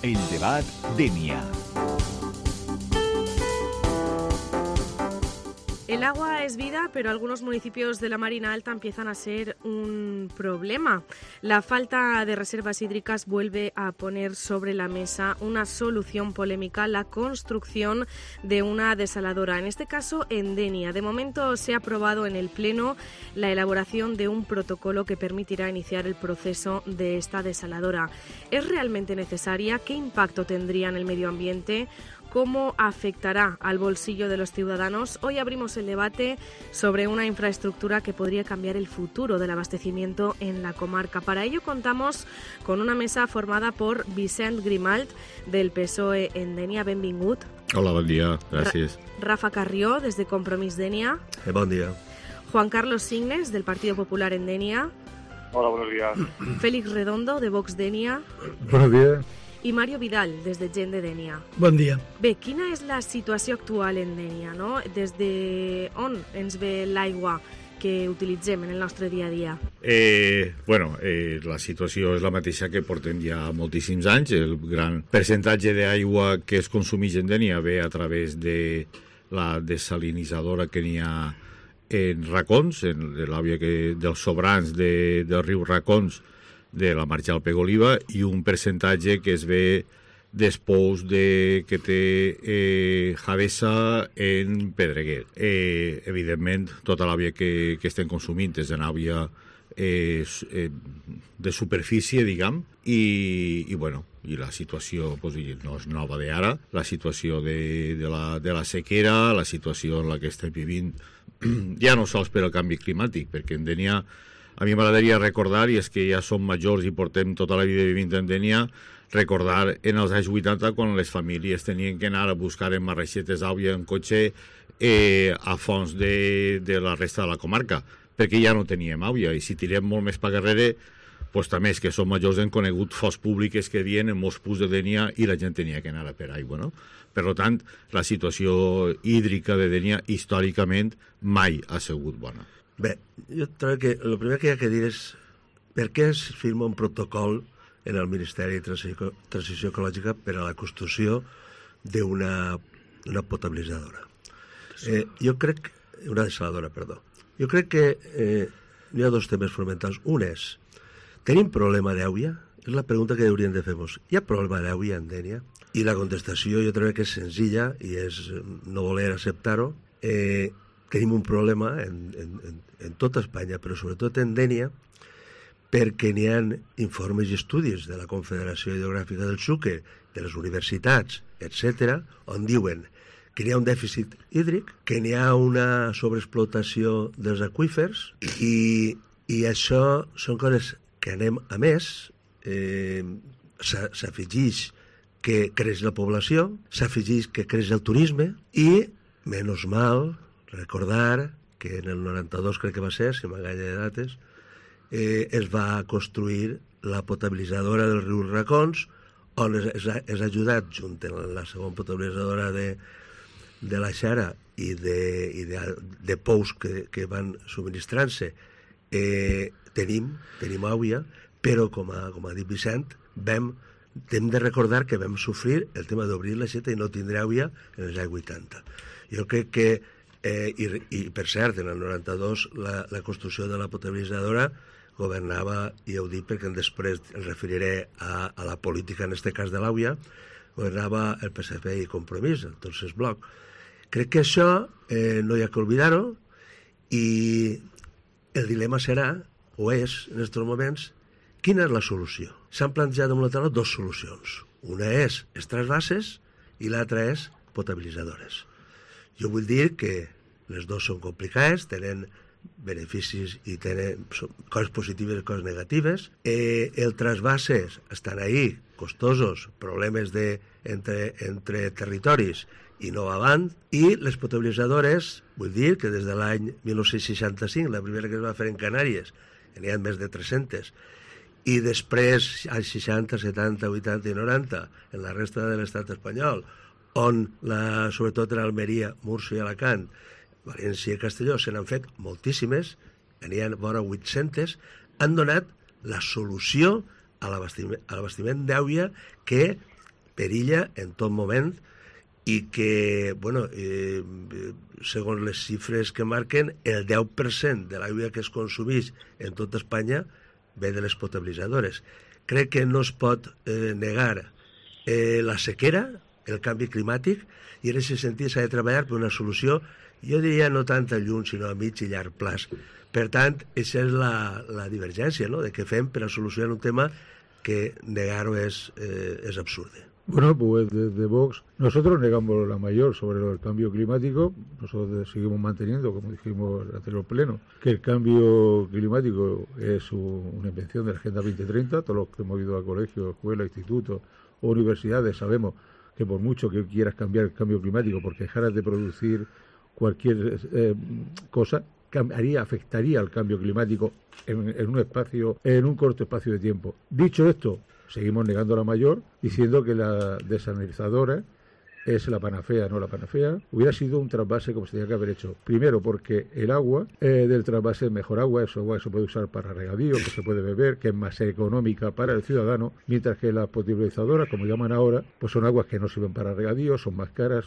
El debat Denia. El agua es vida, pero algunos municipios de la Marina Alta empiezan a ser un problema. La falta de reservas hídricas vuelve a poner sobre la mesa una solución polémica, la construcción de una desaladora, en este caso en Denia. De momento se ha aprobado en el Pleno la elaboración de un protocolo que permitirá iniciar el proceso de esta desaladora. ¿Es realmente necesaria? ¿Qué impacto tendría en el medio ambiente? ¿Cómo afectará al bolsillo de los ciudadanos? Hoy abrimos el debate sobre una infraestructura que podría cambiar el futuro del abastecimiento en la comarca. Para ello contamos con una mesa formada por Vicent Grimalt, del PSOE en Denia. Benvingut. Hola, bon dia. Gràcies. Rafa Carrió, desde Compromís Denia. Bon dia. Juan Carlos Signes, del Partido Popular en Denia. Hola, buenos días. Félix Redondo, de Vox Denia. Buenos días. I Mario Vidal, des de Gent de Denia. Bon dia. Bé, quina és la situació actual en Denia, no? Des de on ens ve l'aigua que utilitzem en el nostre dia a dia? La situació és la mateixa que portem ja moltíssims anys. El gran percentatge d'aigua que es consumeix en Denia ve a través de la desalinitzadora que n'hi ha en Racons, dels sobrants del riu Racons, de la marxa al Pegoliva, i un percentatge que es ve després que té Javesa en Pedreguer. Evidentment, tota l'àvia que estem consumint és d'àvia de superfície, diguem, i la situació no és nova d'ara. La situació de la sequera, la situació en la que estem vivint, ja no sols per al canvi climàtic, perquè en Denia, a mi m'agradaria recordar, i és que ja som majors i portem tota la vida vivint en Denia, recordar en els anys 80 quan les famílies tenien que anar a buscar en marreixetes d'àvia en cotxe a fons de la resta de la comarca, perquè ja no teníem àvia, i si tirem molt més per darrere, doncs també és que som majors, hem conegut fonts públiques que havien en molts punts de Denia i la gent tenia que anar a per aigua, no? Per tant, la situació hídrica de Denia històricament mai ha sigut bona. Bé, jo trobo que el primer que hi ha que dir és per què es firma un protocol en el Ministeri de Transició Ecològica per a la construcció d'una potabilitzadora. Jo crec... Una desaladora, perdó. Jo crec que hi ha dos temes fonamentals. Un és, tenim problema d'aigua? És la pregunta que hauríem de fer-nos. Hi ha problema d'aigua en Denia? I la contestació jo trobo que és senzilla i és no voler acceptar-ho. Tenim un problema en tota Espanya, però sobretot en Denia, perquè n'hi ha informes i estudis de la Confederació Hidrogràfica del Xúquer, de les universitats, etc., on diuen que n'hi ha un dèficit hídric, que n'hi ha una sobreexplotació dels aqüífers, i això són coses que anem a més, s'afegeix que creix la població, s'afegeix que creix el turisme, i, menys mal, recordar que en el 92, crec que va ser, si m'enganya de dates, es va construir la potabilitzadora del riu Racons, on és ajudat, junt amb la segona potabilitzadora de la Xara i de pous que van subministrant-se. Tenim aigua, però, com ha dit Vicent, hem de recordar que vam sofrir el tema d'obrir l'aixeta i no tindre aigua en els anys 80. Jo crec que i per cert, en el 92 la construcció de la potabilitzadora governava, i ho dic perquè després em referiré a la política, en aquest cas de l'àvia, governava el PSC i Compromís, el tercer bloc. Crec que això no hi ha que oblidar-ho, i el dilema serà, o és, en aquests moments, quina és la solució? S'han plantejat damunt la taula dues solucions. Una és els trasvasses i l'altra és potabilitzadores. Jo vull dir que les dues són complicades, tenen beneficis i tenen coses positives i coses negatives. Els trasvasses estan ahí, costosos, problemes entre territoris i no avant, i les potabilitzadores, vull dir que des de l'any 1965, la primera que es va fer en Canàries, n'hi ha més de 300, i després, als 60, 70, 80 i 90, en la resta de l'estat espanyol, on, sobretot en Almeria, Múrcia i Alacant, València i Castelló, se n'han fet moltíssimes, n'hi ha vora 800, han donat la solució a l'abastiment d'aigua que perilla en tot moment i que, bueno, segons les xifres que marquen, el 10% de l'aigua que es consumeix en tota Espanya ve de les potabilitzadores. Crec que no es pot negar la sequera, el canvi climàtic, i en aquest sentit s'ha de treballar per una solució, jo diria no tant a lluny, sinó a mig i llarg plaç. Per tant, aquesta és la divergència, ¿no?, de què fem per a solucionar un tema que negar-ho és absurdo. Bueno, pues desde Vox nosotros negamos la mayor sobre el cambio climático. Nosotros seguimos manteniendo, como dijimos en el anterior pleno, que el cambio climático es una invención de la Agenda 2030. Todos los que hemos ido a colegios, escuelas, institutos o universidades sabemos que por mucho que quieras cambiar el cambio climático, porque dejaras de producir cualquier cosa, afectaría al cambio climático en un corto espacio de tiempo. Dicho esto, seguimos negando la mayor, diciendo que la desalinizadora es la panacea, no la panacea. Hubiera sido un trasvase como se tenía que haber hecho. Primero, porque el agua del trasvase es mejor agua, es agua que se puede usar para regadío, que se puede beber, que es más económica para el ciudadano, mientras que las potabilizadoras, como llaman ahora, pues son aguas que no sirven para regadío, son más caras,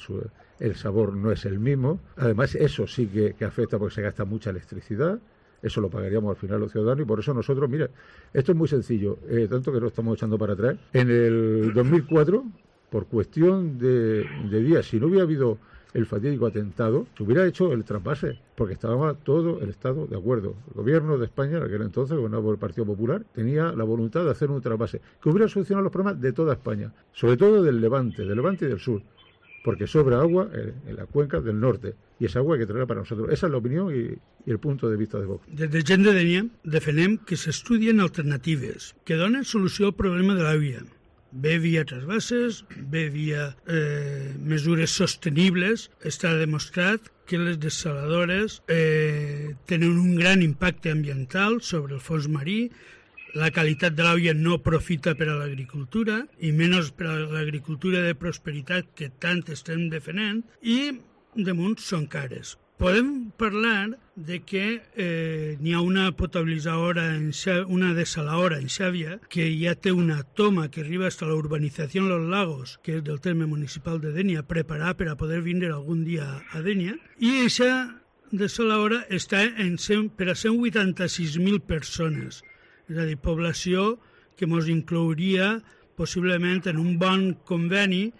el sabor no es el mismo. Además, eso sí que afecta porque se gasta mucha electricidad. Eso lo pagaríamos al final los ciudadanos y por eso nosotros, mira, esto es muy sencillo, tanto que lo estamos echando para atrás. En el 2004, por cuestión de días, si no hubiera habido el fatídico atentado, se hubiera hecho el trasvase, porque estaba todo el Estado de acuerdo. El gobierno de España, que era entonces gobernado por el Partido Popular, tenía la voluntad de hacer un trasvase que hubiera solucionado los problemas de toda España, sobre todo del Levante y del sur, porque sobra agua en la cuenca del norte, i és agua que traerà per a nosaltres. Esa és l'opinió i el punt de vista de Vox. Des de Gent de Dénia defenem que s'estudien alternatives que donen solució al problema de l'aigua, bé via trasbases, bé via mesures sostenibles. Està demostrat que les dessaladores tenen un gran impacte ambiental sobre el fons marí. La qualitat de l'aigua no aprofita per a l'agricultura, i menys per a l'agricultura de prosperitat que tant estem defenent, i damunt són cares. Podem parlar de que n'hi ha una potabilitzadora, una desaladora en Xàbia, que ja té una toma que arriba fins a la urbanizació Los Lagos, que és del terme municipal de Dénia, preparada per a poder vindre algun dia a Dénia, i aquesta desaladora està per a 186.000 persones. És a dir, població que ens inclouria possiblement en un bon conveni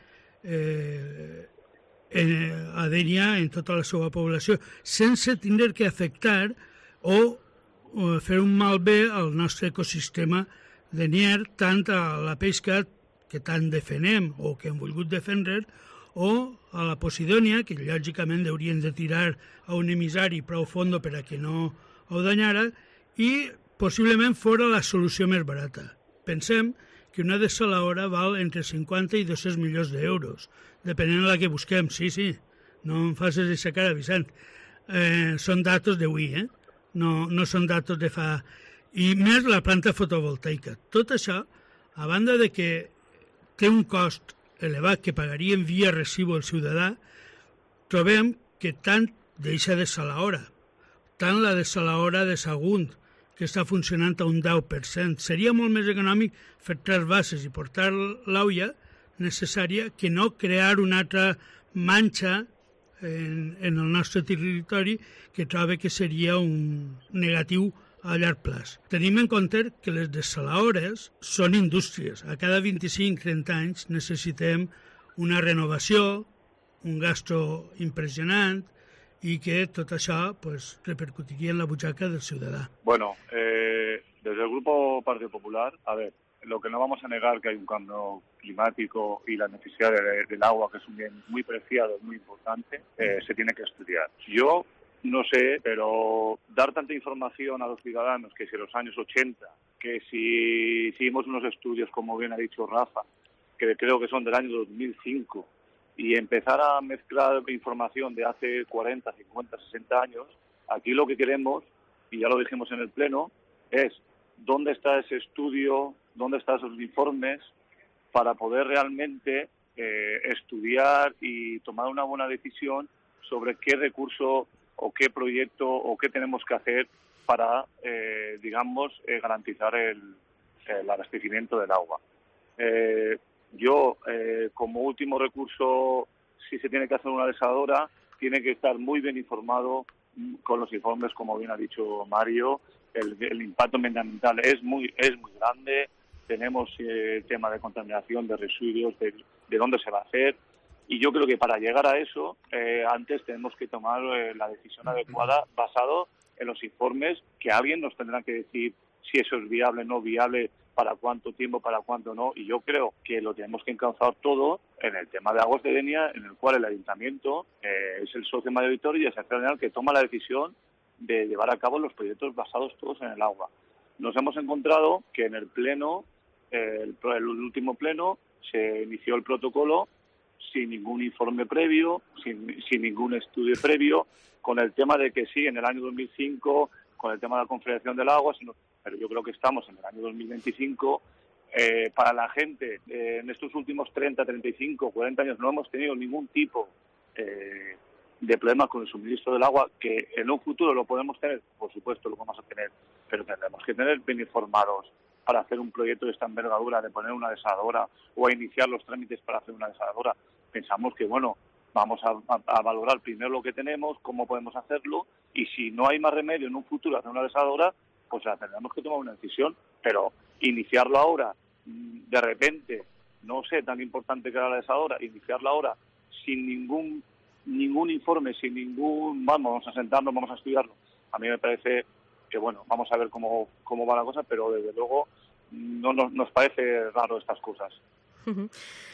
a Dénia en tota la seva població, sense tindre que afectar o fer un malbé al nostre ecosistema denier, tant a la pesca que tant defenem o que hem volgut defendre, o a la Posidònia, que lògicament haurien de tirar a un emissari prou fondo per a que no ho danyara, i possiblement fora la solució més barata. Pensem que una desaladora val entre 50 i 200 milions d'euros, depenent de la que busquem. Sí, no em facis aquesta cara, Vicent. Són datos d'avui, no són datos de fa... I més la planta fotovoltaica. Tot això, a banda de que té un cost elevat que pagaríem via recibo el ciutadà, trobem que tant deixa desaladora, tant la desaladora de Sagunt, que està funcionant a un 10%. Seria molt més econòmic fer trasbases i portar l'aigua necessària que no crear una altra manxa en el nostre territori que trobo que seria un negatiu a llarg plaç. Tenim en compte que les desaladores són indústries. A cada 25-30 anys necessitem una renovació, un gasto impressionant, i que tot això repercutiria en la butxaca del ciudadà. Bueno, desde el Grupo Partido Popular, a ver, lo que no vamos a negar que hay un cambio climático y la necesidad del agua, que es un bien muy preciado, muy importante, se tiene que estudiar. Yo no sé, pero dar tanta información a los ciudadanos que si en los años 80, que si hicimos unos estudios, como bien ha dicho Rafa, que creo que son del año 2005, y empezar a mezclar información de hace 40, 50, 60 años, aquí lo que queremos, y ya lo dijimos en el Pleno, es dónde está ese estudio, dónde están esos informes, para poder realmente estudiar y tomar una buena decisión sobre qué recurso o qué proyecto o qué tenemos que hacer para, garantizar el abastecimiento del agua. Yo como último recurso, si se tiene que hacer una desaladora, tiene que estar muy bien informado con los informes, como bien ha dicho Mario. El impacto medioambiental es muy grande. Tenemos el tema de contaminación, de residuos, de dónde se va a hacer. Y yo creo que para llegar a eso, antes tenemos que tomar la decisión adecuada basado en los informes, que alguien nos tendrá que decir si eso es viable, no viable, para cuánto tiempo, para cuánto no. Y yo creo que lo tenemos que encauzar todo en el tema de Aguas de Denia, en el cual el Ayuntamiento es el socio mayoritario y es el general que toma la decisión de llevar a cabo los proyectos basados todos en el agua. Nos hemos encontrado que en el pleno, el último pleno, se inició el protocolo sin ningún informe previo, sin ningún estudio previo, con el tema de que sí, en el año 2005, con el tema de la Confederación del Agua, pero yo creo que estamos en el año 2025. Para la gente, en estos últimos 30, 35, 40 años no hemos tenido ningún tipo de problemas con el suministro del agua, que en un futuro lo podemos tener, por supuesto lo vamos a tener, pero tendremos que tener bien informados para hacer un proyecto de esta envergadura, de poner una desaladora o a iniciar los trámites para hacer una desaladora. Pensamos que, bueno, vamos a valorar primero lo que tenemos, cómo podemos hacerlo, y si no hay más remedio en un futuro hacer una desaladora, pues tendremos que tomar una decisión, pero iniciarlo ahora, de repente, no sé, tan importante que era la desaladora, iniciarla ahora sin ningún informe, sin ningún, vamos a sentarnos, vamos a estudiarlo. A mí me parece que, bueno, vamos a ver cómo va la cosa, pero desde luego no nos parece raro estas cosas.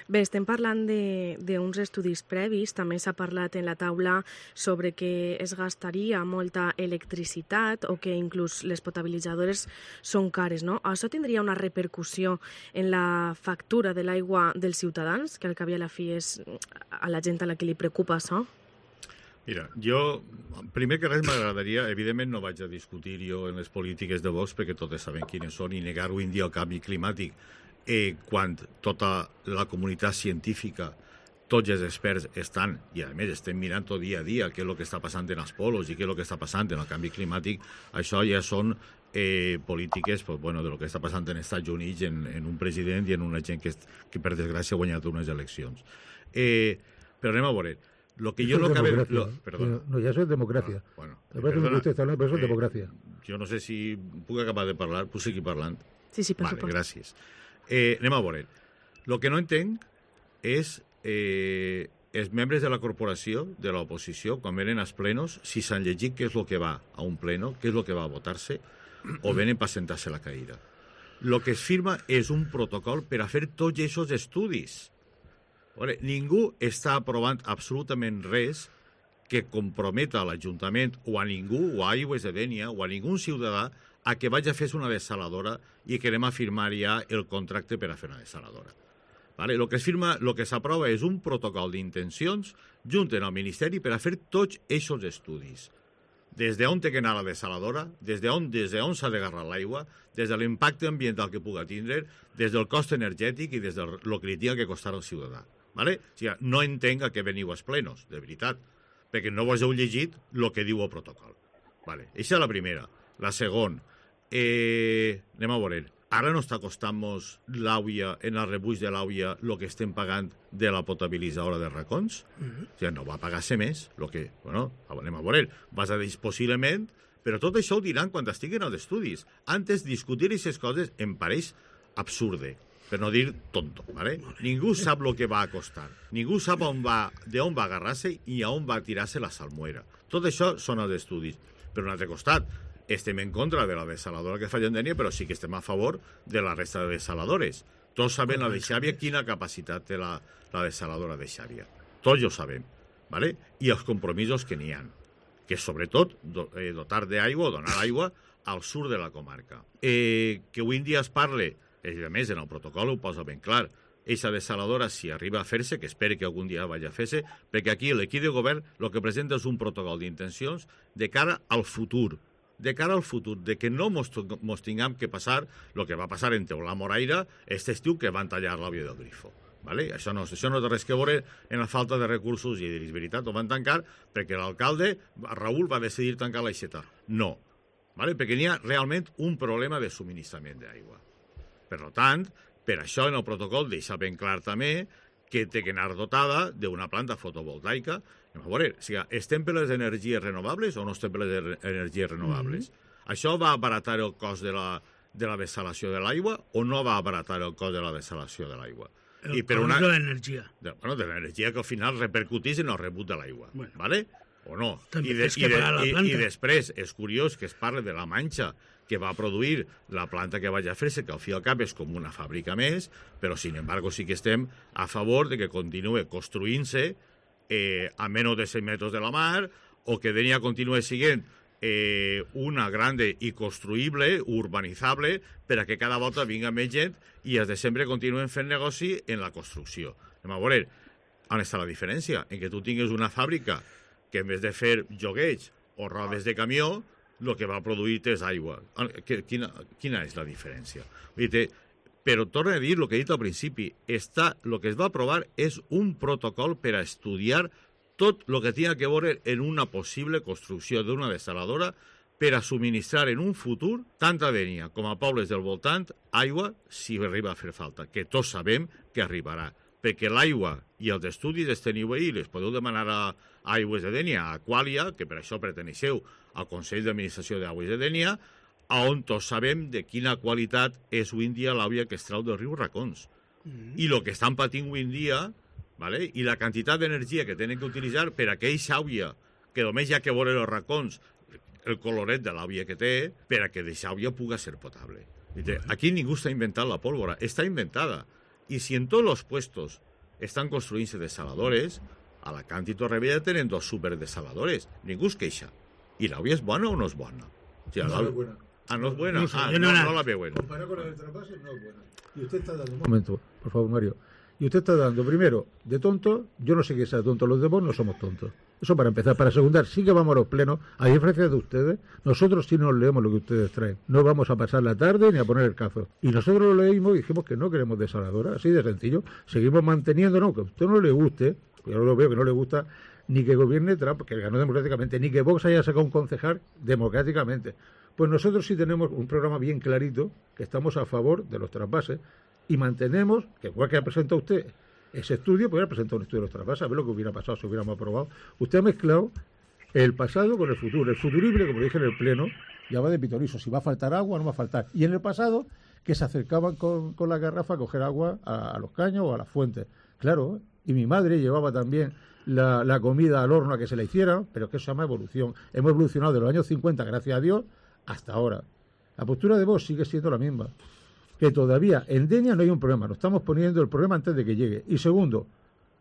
Bé, estem parlant d'uns estudis previs, també s'ha parlat en la taula sobre que es gastaria molta electricitat o que inclús les potabilitzadores són cares, no? Això tindria una repercussió en la factura de l'aigua dels ciutadans, que al cap i a la fi és a la gent a la que li preocupa això? Mira, jo, primer que res m'agradaria, evidentment no vaig a discutir jo en les polítiques de Vox, perquè totes sabem quines són, i negar avui en dia el canvi climàtic, quan tota la comunitat científica, tots els experts estan, i a més estem mirant tot dia a dia què és el que està passant en els polos i què és el que està passant en el canvi climàtic, això ja són polítiques de lo que està passant en Estats Units, en un president i en una gent que per desgràcia ha guanyat unes eleccions. Però anem a veure. Lo que yo no cabe... Perdón. No, ya eso es democracia. Bueno, pero eso es democracia. Jo no sé si puc acabar de parlar, puc seguir parlant? Sí, per supost. Vale, gràcies. Anem a veure. Lo que no entenc és els membres de la corporació, de l'oposició, quan venen als plenos, si s'han llegit què és el que va a un pleno, què és el que va a votar-se, o venen per sentar-se la caïra. Lo que es firma és un protocol per a fer tots aquests estudis. Ningú està aprovant absolutament res que comprometa a l'Ajuntament o a ningú, o a Aigües de Dénia, o a ningú ciutadà a que vagi a fer una desaladora i que anem a firmar ja el contracte per a fer una desaladora. El que es firma, el que s'aprova és un protocol d'intencions junt al Ministeri per a fer tots aquests estudis. Des d'on té que anar la desaladora, des d'on s'ha d'agarrar l'aigua, des de l'impacte ambiental que pugui tindre, des del cost energètic i des del que li tingui que costar al ciutadà. O sigui, no entenc a què veniu als plenos, de veritat, perquè no vos heu llegit el que diu el protocol. Aquesta és la primera. La segona, anem a veure, ara no està costant-nos l'àuia, en el rebuig de l'àuia, el que estem pagant de la potabilitzadora de racons? O sigui, no va pagar-se més, anem a veure, vas a dir possiblement, però tot això ho diran quan estiguin als estudis. Antes, discutir aquestes coses em pareix absurde, per no dir tonto, ¿vale? Ningú sap el que va a costar, ningú sap d'on va agarrar-se i a on va tirar-se la salmuera. Tot això són els estudis. Per un altre costat, estem en contra de la desaladora que fa Dénia, però sí que estem a favor de la resta de desaladores. Tots sabem la de Xàbia, quina capacitat té la desaladora de Xàbia. Tots ho sabem, ¿vale? I els compromisos que n'hi ha, que sobretot dotar d'aigua o donar aigua al sud de la comarca. Que avui en dia es parle, a més, en el protocol ho posa ben clar, eixa desaladora, si arriba a fer-se, que esperi que algun dia vagi a fer-se, perquè aquí l'equip de govern el que presenta és un protocol d'intencions de cara al futur, de que no mos tinguem que passar el que va passar en Teulà Moraira aquest estiu, que van tallar l'àvia del Grifo. Això no té res que veure en la falta de recursos, i és veritat, ho van tancar perquè l'alcalde, Raül, va decidir tancar l'aixeta. No, perquè n'hi ha realment un problema de subministrament d'aigua. Per tant, per això en el protocol deixa ben clar també que té que anar dotada d'una planta fotovoltaica. A veure, estem per les energies renovables o no estem per les energies renovables? Això va abaratar el cost de la dessalació de l'aigua o no va abaratar el cost de la dessalació de l'aigua? El cost de l'energia. Bueno, de l'energia que al final repercutís en el rebut de l'aigua, ¿vale? O no? També tens que pagar la planta. I després, és curiós que es parli de la manxa que va produir la planta que vaig a fer, que al fi i al cap és com una fàbrica més, però, sin embargo, sí que estem a favor de que continuï construint-se a menys de 100 metres de la mar o que Denia continuï sent una grande i construïble, urbanitzable, per a que cada volta vinga més gent i els de sempre continuen fent negoci en la construcció. Anem a veure, on està la diferència? En que tu tingues una fàbrica que en vez de fer jogueig o rodes de camió, el que va produir és aigua. Quina és la diferència? Però torno a dir el que he dit al principi, el que es va aprovar és un protocol per a estudiar tot el que tingui que veure en una possible construcció d'una dessaladora per a subministrar en un futur tant a Dénia com a pobles del voltant aigua si arriba a fer falta, que tots sabem que arribarà. Perquè l'aigua i els estudis els teniu ahir, les podeu demanar a Aigües de Dénia, a Aquàlia, que per això perteneixeu al Consell d'Administració d'Aigües de Dénia, on tots sabem de quina qualitat és avui en dia l'aigua que es trau del riu Racons. I el que estan patint avui en dia, ¿vale? I la quantitat d'energia que tenen que utilitzar per a aquella aigua que només hi ha que veure els racons, el coloret de l'aigua que té, per a que aquesta aigua pugui ser potable. Aquí ningú està inventant la pólvora, està inventada. I si en tots els puestos estan construint-se desaladores, a Alacant i Torrevella tenen 2 superdesaladores. Ningú es queixa. I l'aigua és bona o no és bona? No es buena. No es buena. No la veuen. Comparado con la del trasvase, no es buena. Y usted está dando... Un momento, por favor, Mario. Y usted está dando, primero, de tonto, yo no sé qué sea tonto, los de vos no somos tontos. Eso para empezar. Para segundar, sí que vamos a los plenos, a diferencia de ustedes, nosotros sí nos leemos lo que ustedes traen. No vamos a pasar la tarde ni a poner el cazo. Y nosotros lo leímos y dijimos que no queremos desaladora, así de sencillo. Seguimos manteniéndonos, que a usted no le guste, yo lo veo que no le gusta, ni que gobierne Trump, que ganó democráticamente, ni que Vox haya sacado un concejal democráticamente. Pues nosotros sí tenemos un programa bien clarito, que estamos a favor de los trasvases, y mantenemos, que igual que ha presentado usted ese estudio, pues ha presentado un estudio de los trasvases, a ver lo que hubiera pasado si hubiéramos aprobado. Usted ha mezclado el pasado con el futuro. El futurible, como dije en el Pleno, ya va de pitorizo, si va a faltar agua o no va a faltar. Y en el pasado, que se acercaban con la garrafa a coger agua a los caños o a las fuentes. Claro, y mi madre llevaba también la comida al horno a que se la hiciera, pero que eso se llama evolución. Hemos evolucionado de los años 50, gracias a Dios, hasta ahora. La postura de Vox sigue siendo la misma. Que todavía en Denia no hay un problema, nos estamos poniendo el problema antes de que llegue. Y segundo,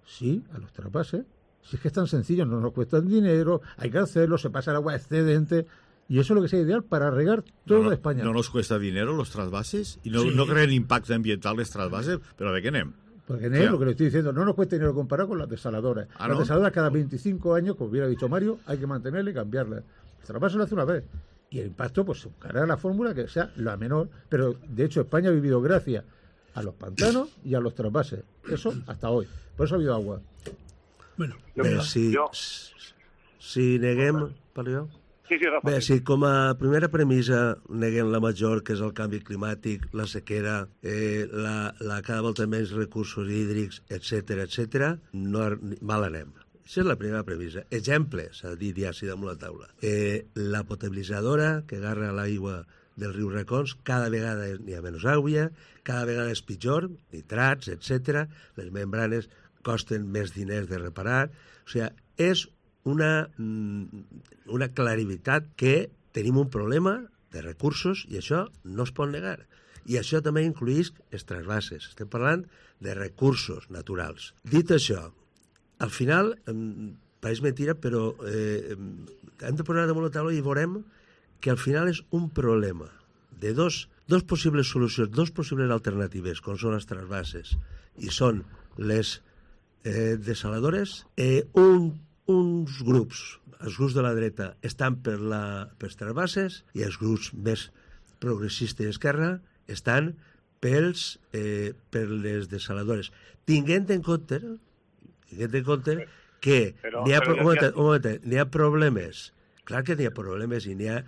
sí, a los trasvases, si es que es tan sencillo, no nos cuestan dinero, hay que hacerlo, se pasa el agua excedente, y eso es lo que sea ideal para regar toda España. ¿No nos cuesta dinero los trasvases? ¿Y no crean impacto ambiental los trasvases? ¿Pero de qué nem? Porque en lo que le estoy diciendo, no nos cuesta dinero comparado con las desaladoras. Las desaladoras cada 25 años, como hubiera dicho Mario, hay que mantenerlas y cambiarlas. El trasvase lo hace una vez. Y el impacto, pues se buscará la fórmula que sea la menor. Pero, de hecho, España ha vivido gracias a los pantanos y a los trasvases. Eso hasta hoy. Por eso ha habido agua. Bueno, si neguem... Parlo jo? Sí, Rafa. Bé, si com a primera premissa neguem la major, que és el canvi climàtic, la sequera, la cada volta menys recursos hídrics, etc., mal anem. Això és la primera premissa. Exemple, s'ha dit ja així damunt la taula. La potabilitzadora que agarra l'aigua del riu Racons, cada vegada n'hi ha menys aigua, cada vegada és pitjor, nitrats, etc. Les membranes costen més diners de reparar. O sigui, és una clarivitat que tenim un problema de recursos i això no es pot negar. I això també incluïx els trasvases. Estem parlant de recursos naturals. Dit això, al final, pareix mentira, però hem de posar damunt la taula i veurem que al final és un problema de dos possibles solucions, dos possibles alternatives, com són els trasvases i són les desaladores. Uns grups, els grups de la dreta, estan pels trasvases i els grups més progressistes d'esquerra estan per les desaladores. Tinguent en compte que n'hi ha problemes, clar que n'hi ha problemes i n'hi ha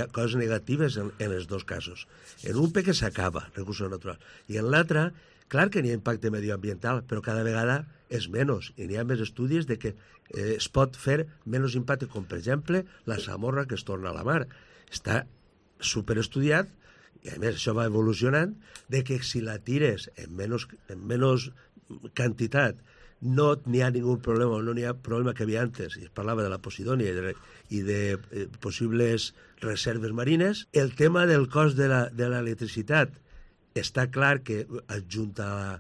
coses negatives en els dos casos. En un perquè s'acaba, recursos naturals, i en l'altre Clar que n'hi ha impacte medioambiental, però cada vegada és menys, i n'hi ha més estudis de que es pot fer menys impacte, com per exemple la salmorra que es torna a la mar. Està superestudiat, i a més això va evolucionant, de que si la tires en menys quantitat no n'hi ha ningú problema, no n'hi ha problema que havia antes, i es parlava de la Posidònia i de possibles reserves marines. El tema del cost de l'electricitat està clar que adjunta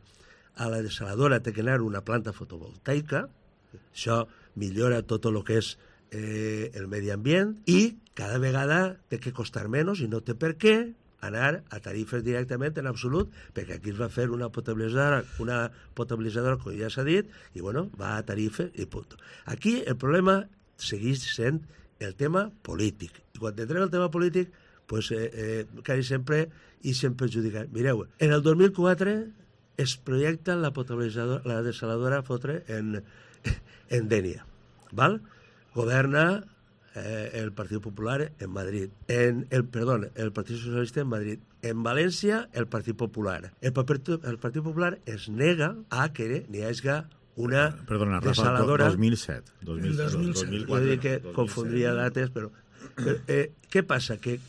a la desaladora té que anar una planta fotovoltaica, això millora tot el que és el medi ambient, i cada vegada té que costar menys i no té per què anar a tarifes directament en absolut, perquè aquí es va fer una potabilitzadora, com ja s'ha dit, i bueno, va a tarifes i punt. Aquí el problema segueix sent el tema polític. I quan entrem el tema polític, pues, quasi sempre i sempre perjudicar. Mireu, en el 2004 es projecta la potabilitzadora, la desaladora fotre en Dénia, val? Governa el Partit Popular en Madrid, el Partit Socialista en Madrid, en València el Partit Popular. El Partit Popular es nega a que n'hi hagi una desaladora... 2007. 2007. Jo dic que confondria dates, però... què passa? Que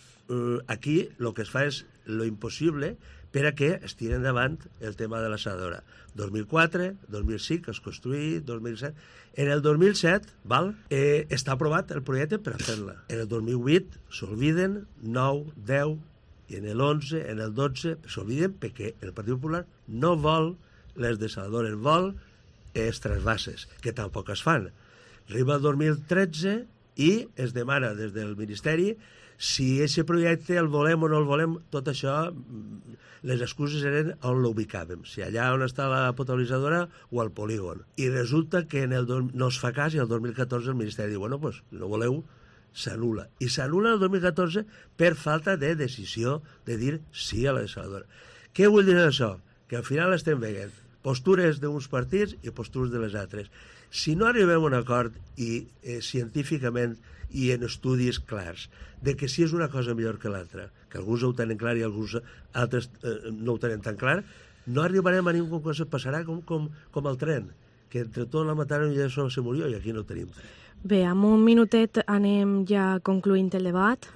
aquí el que es fa és lo impossible per a que es tiri endavant el tema de la desaladora. 2004, 2005 es construï, 2007... En el 2007 està aprovat el projecte per a fer-la. En el 2008 s'olviden 9, 10, i en el 11, en el 12 s'olviden perquè el Partit Popular no vol les desaladores, vol els trasvasses, que tampoc es fan. Arriba el 2013 i es demana des del Ministeri si aquest projecte el volem o no el volem. Tot això, les excuses eren on l'ubicàvem, si allà on està la potabilitzadora o al polígon. I resulta que no es fa cas, i el 2014 el Ministeri diu, bueno, pues, no voleu, s'anul·la. I s'anul·la el 2014 per falta de decisió de dir sí a la desaladora. Què vull dir això? Que al final estem veient postures d'uns partits i postures de les altres. Si no arribem a un acord i científicament i en estudis clars de que si és una cosa millor que l'altra, que alguns ho tenen clar i alguns altres no ho tenen tan clar, no arribarem a ningú que se passarà com el tren, que entre tot la mataron i ja solo se murió, i aquí no ho tenim. Bé, amb un minutet anem ja concluint el debat.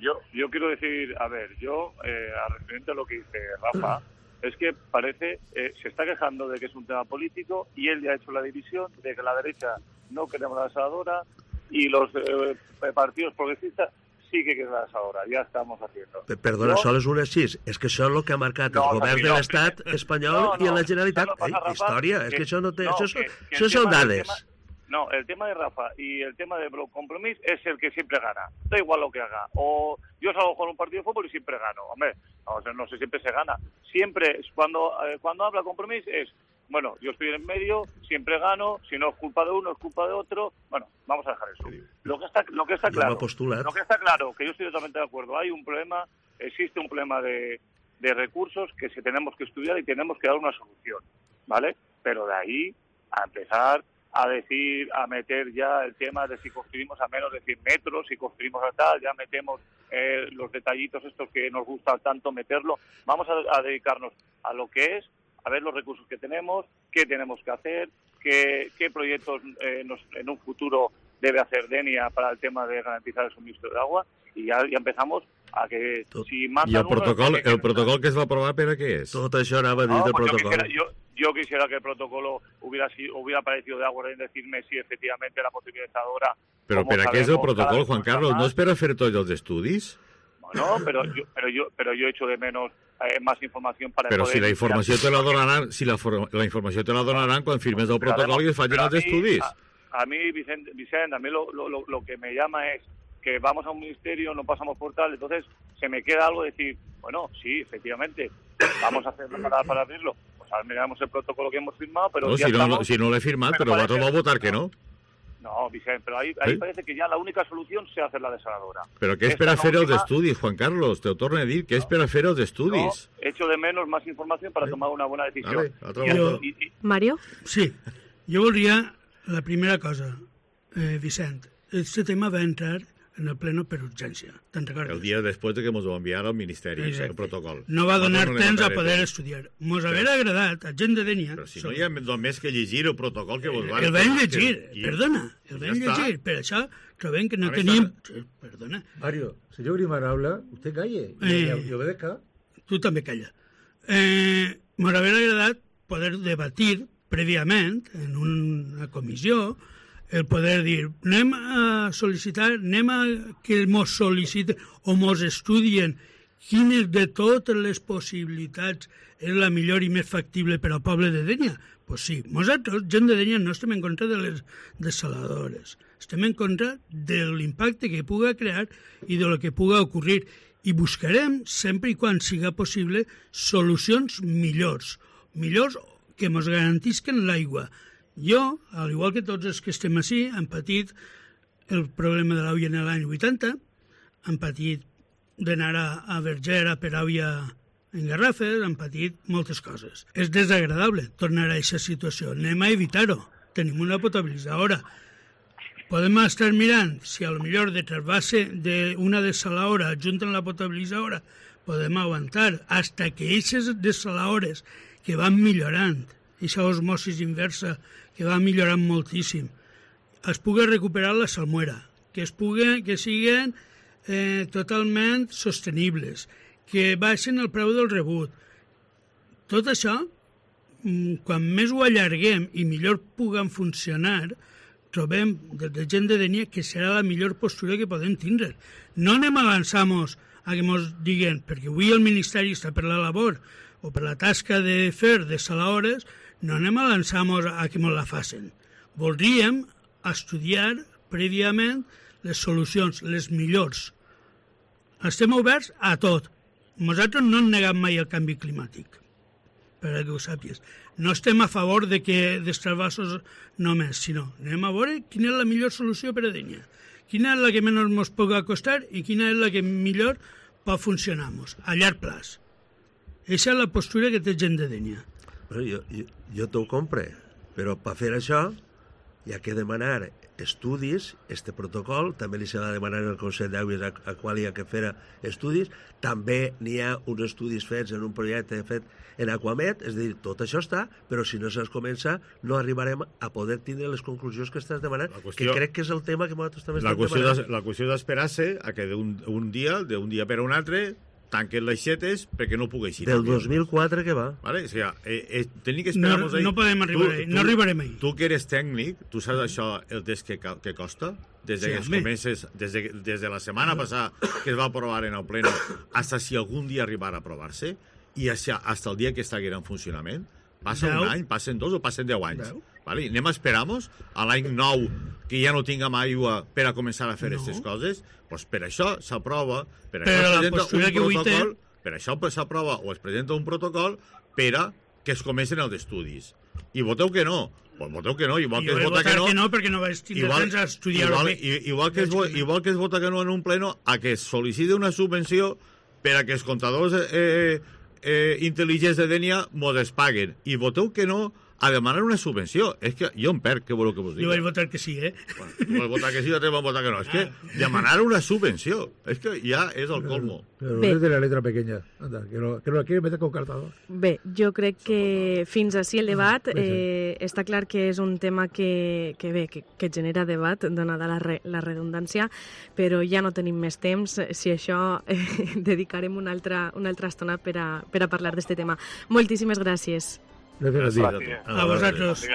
Yo quiero decir, a ver, referente a lo que dice Rafa, es que parece, se está quejando de que es un tema político y él ya ha hecho la división de que la derecha no queremos la desaladora y los partidos progresistas sí que quieren la desaladora. Ya estamos haciendo. Perdona, sol és un així. És que això és el que ha marcat el govern de l'Estat espanyol i en la Generalitat. Història, és que això no té... Això són dades. No, el tema de Rafa y el tema de Compromís es el que siempre gana. Da igual lo que haga. O yo salgo con un partido de fútbol y siempre gano. Hombre, no sé, siempre se gana. Siempre, cuando habla Compromís es, bueno, yo estoy en medio, siempre gano, si no es culpa de uno, es culpa de otro. Bueno, vamos a dejar eso. Lo que está claro, que yo estoy totalmente de acuerdo, hay un problema, existe un problema de recursos que se tenemos que estudiar y tenemos que dar una solución, ¿vale? Pero de ahí a empezar a meter ya el tema de si construimos a menos de 100 metros, si construimos a tal, ya metemos los detallitos estos que nos gusta tanto meterlo. Vamos a dedicarnos a lo que es, a ver los recursos que tenemos, qué tenemos que hacer, qué proyectos en un futuro debe hacer Denia para el tema de garantizar el suministro de agua, y ya empezamos a que si mandan... I el protocol que es va aprovar, per a què és? Tot això anava a dir del protocol. Yo quisiera que el protocolo hubiera aparecido de acuerdo en decirme si efectivamente la potabilizadora... Però per a què és el protocol, Juan Carlos? ¿No es per a fer tots els estudis? No, pero yo echo de menos más información para pero poder... Però si la informació te la donaran, la informació te la donaran quan firmes el protocol i es facin els estudis. A mí, Vicente, a mí lo que me llama es que vamos a un ministerio, no pasamos por tal, entonces se me queda algo de decir, bueno, sí, efectivamente, vamos a hacerlo para abrirlo. Pues ahora miramos el protocolo que hemos firmado, pero no, si no l'he firmat, però vosaltres vau votar que no. No, Vicente, pero ahí parece que ya la única solución sea hacer la desaladora. Però què és per a fer els estudis, Juan Carlos? Te ho torno a dir, què és per a fer els estudis? No, echo de menos más información para tomar una buena decisión. Mario? Sí, jo voldria la primera cosa, Vicent. Este tema va entrar en el pleno per urgència. Te'n recordes? El dia després de que ens ho enviara al Ministeri, Exacte. el protocol. No va donar temps a poder temps. estudiar. Mos haguera agradat, a gent de Dénia... Però si no hi ha només que llegir el protocol que vos van... El vam llegir, perdona, el vam llegir. Per això trobem que no tenim... Perdona. Mario, señor Grimar habla, usted calle y obedezca. Tu també calla. Mos haguera agradat poder debatir prèviament en una comissió el poder dir, anem a sol·licitar, anem a que mos sol·liciten o mos estudien quines de totes les possibilitats és la millor i més factible per al poble de Dénia. Pues sí, nosaltres, gent de Dénia, no estem en contra de les desaladores. Estem en contra de l'impacte que puga crear i de lo que puga ocorrir. I buscarem, sempre i quan siga possible, solucions millors que ens garantisquen l'aigua. Jo, al igual que tots els que estem així, hem patit el problema de l'àvia en l'any 80, hem patit d'anar a Verger a per àvia en garrafes, hem patit moltes coses. És desagradable tornar a aquesta situació. Anem a evitar-ho. Tenim una potabilitzadora. Podem estar mirant si a lo millor de trasbase d'una desaladora junten la potabilitzadora podem aguantar hasta que aquestes desaladores que van millorant, aquesta osmosis inversa que va millorant moltíssim, es pugui recuperar la salmuera, que siguin totalment sostenibles, que baixen el preu del rebut. Tot això, quan més ho allarguem i millor puguen funcionar, trobem des de gent de Dénia que serà la millor postura que podem tindre. No anem a avançar-nos a que ens diguen, perquè avui el Ministeri està per la labor o per la tasca de fer desaladores, no anem a lançar-nos a que ens la facin. Voldríem estudiar prèviament les solucions, les millors. Estem oberts a tot. Nosaltres no hem negat mai el canvi climàtic, per que ho sàpies. No estem a favor de que dels trasbassos només, sinó anem a veure quina és la millor solució per a Dénia. Quina és la que menys ens pugui costar i quina és la que millor pot funcionar-nos a llarg plaç. Aquesta és la postura que té gent de Dénia. Bueno, jo t'ho compre, però per fer això hi ha que demanar estudis, este protocol, també li s'ha de demanar al Consell d'Aigües a qual hi ha que fer estudis, també n'hi ha uns estudis fets en un projecte fet en Aquamet, és a dir, tot això està, però si no se'ls comença no arribarem a poder tindre les conclusions que estàs demanant, que crec que és el tema que nosaltres també estem demanant. La qüestió d'esperar-se a que d'un dia per a un altre tanquen les xetes perquè no pugui eixir. Del 2004 que va. Vale? O sigui, tenim que esperar-nos ahí. No podem arribar ahí, no arribarem ahí. Tu que eres tècnic, tu saps això el test que costa? Des de la setmana passada que es va aprovar en el pleno hasta si algun dia arribarà a aprovar-se i hasta el dia que estiguera en funcionament, passa un any, passen 2 o passen 10 anys. Vale? Anem a esperar-nos a l'any 9 que ja no tinguem aigua per a començar a fer aquestes coses? Doncs per això s'aprova, per això s'aprova o es presenta un protocol per a que es comencen els estudis. I voteu que no. Pues voteu que no, igual que es vota que no perquè no vaig tindre temps a estudiar-ho bé. Igual que es vota que no en un pleno a que es sol·licite una subvenció per a que els comptadors intel·ligents de Dénia mos es paguen. I voteu que no a demanar una subvenció. És que jo em perc, què voleu que vos digui? Jo vaig votar que sí, Bueno, tu vas votar que sí, altres van votar que no. És que demanar una subvenció, és que ja és el colmo. Pero es de la letra pequeña. Anda, que lo quiere meter con cartador. Bé, jo crec que fins així el debat està clar que és un tema que genera debat, donada la redundància, però ja no tenim més temps. Si això dedicarem una altra estona per a parlar d'aquest tema. Moltíssimes gràcies. Gracias a ti. A vosaltres.